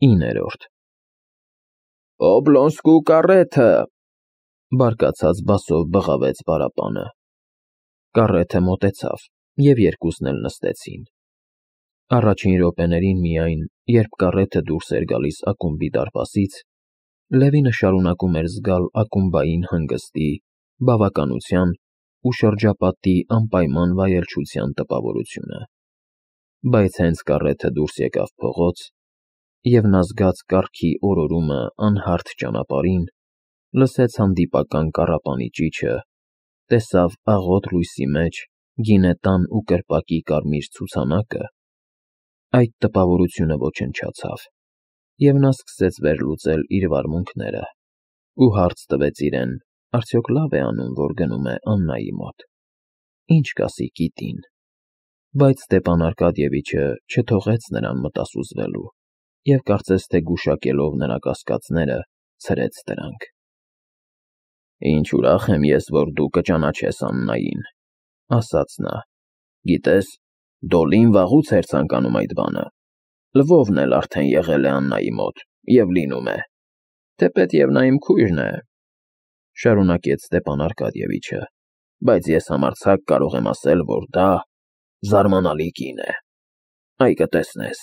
9-րդ Օբլոնսկու կարեթը, բարկացած բասով բղավեց պարապանը։ Կարեթը մոտեցավ, և երկուսն էլ նստեցին։ Առաջին րոպեներին միայն, երբ կարեթը դուրս էր գալիս ակումբի դարպասից, Լևինը շարունակում էր զգալ ակումբային հանգստի, բավականության ու շրջապատի անպայման վայելչության տպավորությունը։ Բայց հենց կարեթը դուրս եկավ փողոց, և նա զգաց կառքի օրորումը անհարթ ճանապարհին, լսեց հանդիպական կառապանի ճիչը, տեսավ աղոտ լույսի մեջ գինետան ու կրպակի կարմիր ցուցանակը, այդ տպավորությունը ոչնչացավ, և նա սկսեց վերլուծել իր վարմունքները ու հարց տվեց իրեն, արդյոք լավ է անում, որ գնում է Աննայի մոտ, ինչ կասի կիտին, բայց Ստեփան Արկադիևիչը չթողեց նրան մտասուզվելու և կարծես թե գուշակելով նրա կասկածները, ցրեց դրանք։ Ինչ ուրախ եմ ես, որ դու կճանաչես Աննային, ասաց նա, գիտես, Դոլին վաղուց էր ցանկանում այդ բանը, Լվովն էլ արդեն եղել է Աննայի մոտ և լինում է, թեպետև նա իմ քույրն է, շարունակեց Ստեփան Արկադիևիչը, բայց ես համարձակ կարող եմ ասել, որ դա զարմանալի կին է, այ կտեսնես։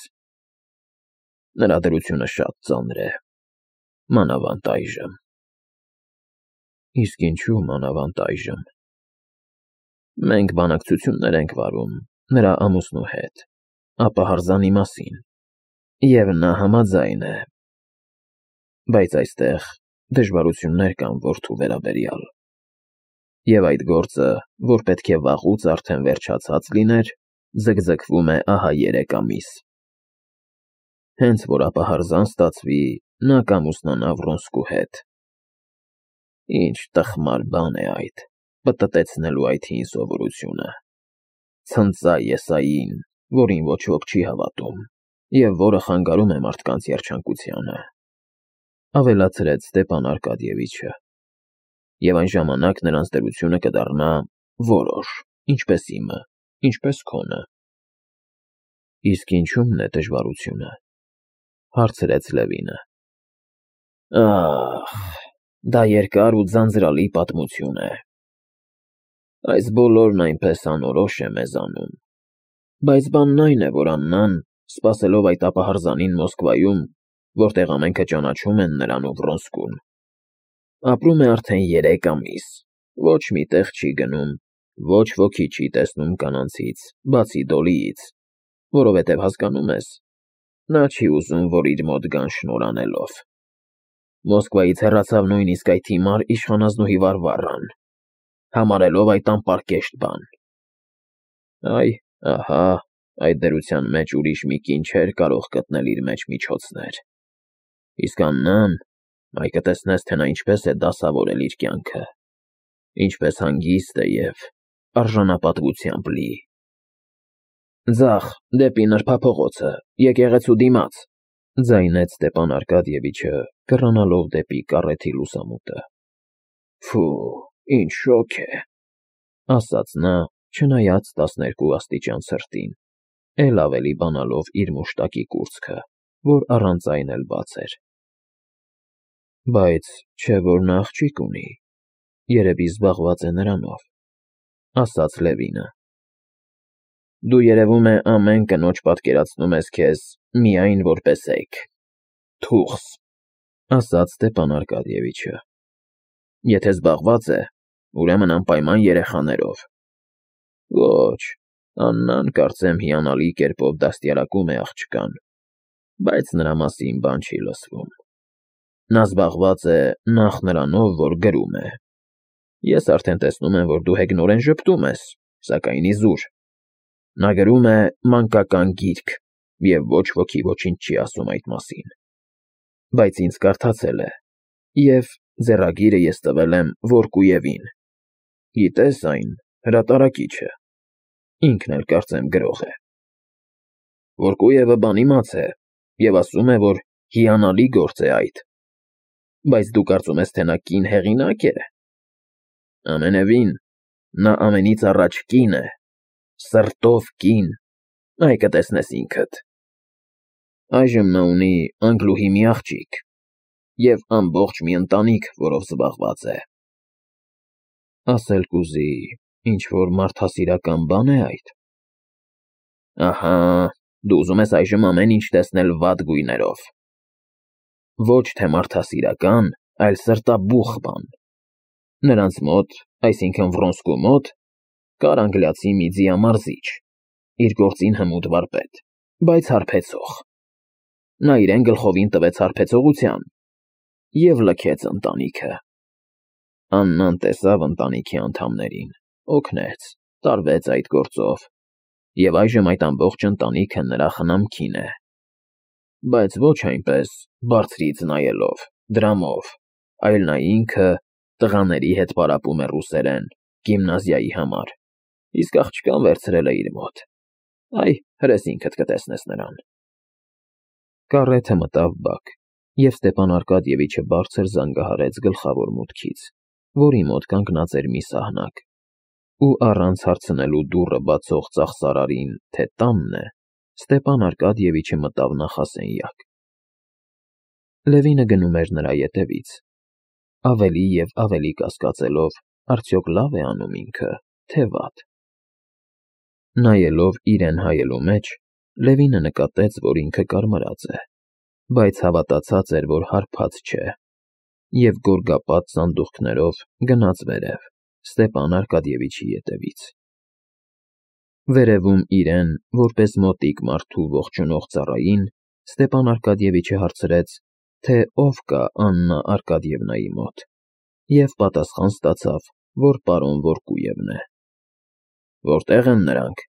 Նրա դրությունը շատ ծանր է, մանավանդ այժմ։ Իսկ ինչու մանավանդ այժմ։ Մենք բանակցություններ ենք վարում նրա ամուսնու հետ, ապահարզանի մասին, և նա համաձայն է, բայց այստեղ դժվարություններ կան որդու վերաբերյալ, և այդ գործը, որ պետք է վաղուց արդեն վերջացած լիներ, ձգձգվում է ահա 3 ամիս։ Հենց որ ապահարզան ստացվի, նա կամուսնանա Վրոնսկու հետ։ Ինչ տխմար բան է այդ, պտտեցնելու այդ հին սովորությունը, ցնծա եսային, որին ոչ ոք չի հավատում, և որը խանգարում է մարդկանց երջանկությանը, ավելացրեց Ստեփան Արկադիևիչը, և այն ժամանակ նրանց դրությունը կդառնա որոշ, ինչպես իմը, ինչպես քոնը։ Իսկ ինչումն է դժվարությունը, հարցրեց Լևինը։ Ահ, դա երկար ու ձանձրալի պատմություն է։ Այս բոլորն այնպես անորոշ է մեզանում, բայց բանն այն է, որ Աննան, սպասելով այդ ապահարզանին Մոսկվայում, որտեղ ամենքը ճանաչում են նրան ու Վրոնսկուն, ապրում է արդեն 3 ամիս, ոչ մի տեղ չի գնում, ոչ ոքի չի տեսնում կանանցից, բացի Դոլիից, որովհետև հասկանում ես, նա չի ուզում, որ իր մոտ գան շնորհ անելով։ Մոսկվայից հեռացավ նույնիսկ այդ հիմար իշխանազնուհի Վարվառան, համարելով այդ անպարկեշտ բան։ Այ, ահա, այդ դրության մեջ ուրիշ մի կին չէր կարող գտնել իր մեջ միջոցներ։ Իսկ Աննան, այ կտեսնես, թե նա ինչպես է դասավորել իր կյանքը, ինչպես հանգիստ է և արժանապատվությամբ լի։ Ձախ, դեպի նրբափողոցը, եկեղեցու դիմաց, ձայնեց Ստեփան Արկադիևիչը, կռանալով դեպի կարեթի լուսամուտը։ Ֆու, ինչ շոգ է, ասաց նա, չնայած 12 աստիճան ցրտին, էլ ավելի բանալով իր մուշտակի կուրծքը, որ առանց այն էլ բաց էր։ Բայց չէ՞ որ նա աղջիկ ունի, երևի զբաղված է նրանով, ասաց Լևինը։ Դու երևում է ամեն կնոջ պատկերացնում ես քեզ միայն որպես էգ, թուղս, ասաց Ստեփան Արկադիևիչը։ Եթե զբաղված է, ուրեմն անպայման երեխաներով։ Ոչ, Աննան, կարծեմ, հիանալի կերպով դաստիարակում է աղջկան, բայց նրա մասին բան չի լսվում։ Նա զբաղված է նախ նրանով, որ գրում է։ Ես արդեն տեսնում եմ, որ դու հեգնորեն ժպտում ես, սակայն իզուր։ Նա գրում է մանկական գիրք, և ոչ ոքի ոչինչ չի ասում այդ մասին։ Բայց ինձ կարդացել է, և ձեռագիրը ես տվել եմ Վորկուևին։ Գիտես այն, հրատարակիչը, ինքն էլ կարծեմ գրող է։ Վորկուևը բանիմաց է և ասում է, որ հիանալի գործ է այդ։ Բայց դու կարծում ես, թե նա կին հեղինակ է։ Ամենևին, նա ամենից առաջ կին է, սրտով կին, այ կտեսնես ինքդ։ Այժմ նա ունի անգլուհի մի աղջիկ և ամբողջ մի ընտանիք, որով զբաղված է։ Ասել կուզի, ինչ-որ մարդասիրական բան է այդ։ Ահա, դու ուզում ես այժմ ամեն ինչ տեսնել վատ գույներով։ Ոչ թե մարդասիրական, այլ սրտաբուխ բան։ Նրանց մոտ, այսինքն Վրոնսկու մոտ, կար անգլիացի մի ձիամարզիչ, իր գործին հմուտ վարպետ, բայց հարբեցող։ Նա իրեն գլխովին տվեց հարբեցողության և լքեց ընտանիքը։ Աննան տեսավ ընտանիքի անդամներին, օգնեց, տարվեց այդ գործով, և այժմ այդ ամբողջ ընտանիքը նրա խնամքին է։ Բայց ոչ այնպես բարձրից նայելով, դրամով, այլ նա ինքը տղաների հետ պարապում է ռուսերեն գիմնազիայի համար, իսկ աղջկան վերցրել է իր մոտ։ Այ, հրես ինքդ կտեսնես նրան։ Կառեթը մտավ բակ, և Ստեփան Արկադիևիչը բարձր զանգահարեց գլխավոր մուտքից, որի մոտ կանգնած էր մի սահնակ, ու առանց հարցնելու դուռը բացող ծախսարարին, թե տանն է, Ստեփան Արկադիևիչը մտավ նախասենյակ։ Լևինը գնում էր նրա ետևից, ավելի և ավելի կասկածելով, արդյոք լավ է անում ինքը, թե վատ։ Նայելով իրեն հայելու մեջ, Լևինը նկատեց, որ ինքը կարմրած է, բայց հավատացած էր, որ հարբած չէ, և գորգապատ սանդուղքներով գնաց վերև, Ստեփան Արկադիևիչի ետևից։ Վերևում իրեն, որպես մոտիկ մարդու ողջունող ծառային, Ստեփան Արկադիևիչը հարցրեց, թե ով կա Աննա Արկադիևնայի մոտ, և պատասխան ստացավ, որ պարոն Վորկուևն է։ Որտե՞ղ են նրանք։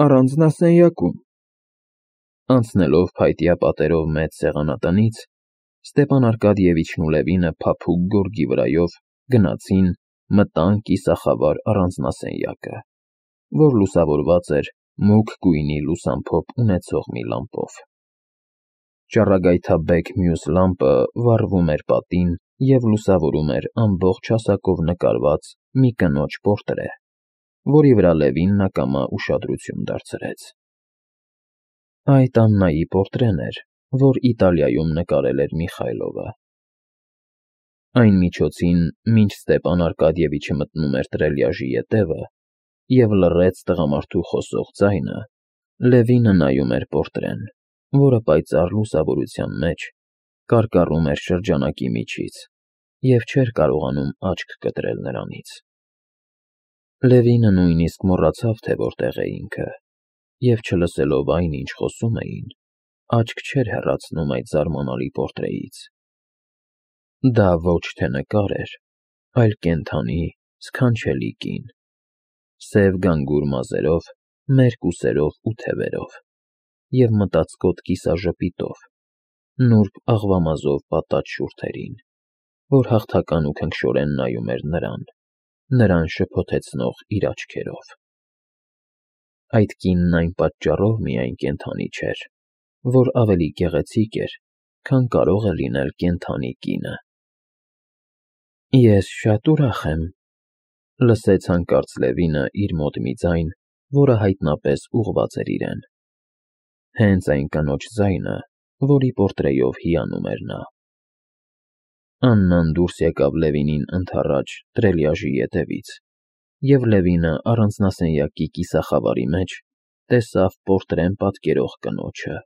Առանձնասենյակում։ Անցնելով փայտյա պատերով մեծ սեղանատնից, Ստեփան Արկադիևիչն ու Լևինը փափուկ գորգի վրայով գնացին, մտան կիսախավար առանձնասենյակը, որ լուսավորված էր մուգ գույնի լուսամփոփ ունեցող մի լամպով։ Ճառագայթաբեկ մյուս լամպը վառվում էր պատին և լուսավորում էր ամբողջ հասակով նկարված մի կնոջ պորտրե, որի վրա Լևինն ակամա ուշադրություն դարձրեց։ Այդ Աննայի պորտրեն էր, որ Իտալիայում նկարել էր Միխայլովը։ Այն միջոցին, մինչ Ստեփան Արկադիևիչը մտնում էր տրելյաժի ետևը և լռեց տղամարդու խոսող ձայնը, Լևինը նայում էր պորտրեն, որը պայծառ լուսավորության մեջ կարկառում էր շրջանակի միջից և չէր կարողանում աչք կտրել նրանից։ Լևինը նույնիսկ մոռացավ, թե որտեղ է ինքը, և չլսելով այն, ինչ խոսում էին, աչք չէր հեռացնում այդ զարմանալի պորտրեից։ Դա ոչ թե նկար էր, այլ կենդանի, սքանչելի կին, սև գանգուր մազերով, մերկ ուսերով ու թևերով և մտածկոտ կիսաժպիտով, նուրբ աղվամազով պատած շուրթերին, որ հաղթական ու քնքշորեն նայում էր նրան շփոթեցնող իր աչքերով։ Այդ կինն այն պատճառով միայն կենդանի չէր, որ ավելի գեղեցիկ էր, քան կարող է լինել կենդանի կինը։ Ես շատ ուրախ եմ, լսեց հանկարծ Լևինը իր մոտ մի ձայն, որը հայտնապես ուղղված էր իրեն։ Հենց այն կնոջ ձայնը, որի պորտրեյով հիանում էր նա։ Աննան դուրս եկավ Լևինին ընդառաջ տրելյաժի ետևից, և Լևինը առանձնասենյակի կիսախավարի մեջ տեսավ պորտրեն պատկերող կնոջը,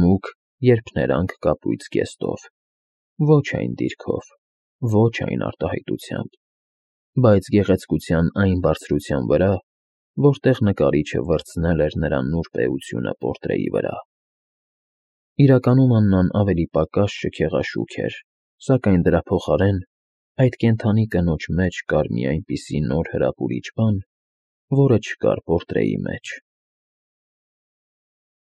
մուգ, երփներանգ կապույտ զգեստով, ոչ այն դիրքով, ոչ այն արտահայտությամբ, բայց գեղեցկության այն բարձրության վրա, որտեղ նկարիչը վրձնել էր նրա նուրբ էությունը պորտրեի վրա։ Իրականում Աննան ավելի պակաս շքեղաշուք էր, սակայն դրա փոխարեն այդ կենդանի կնոջ մեջ կար մի այնպիսի նոր հրապուրիչ բան, որը չկար պորտրեի մեջ։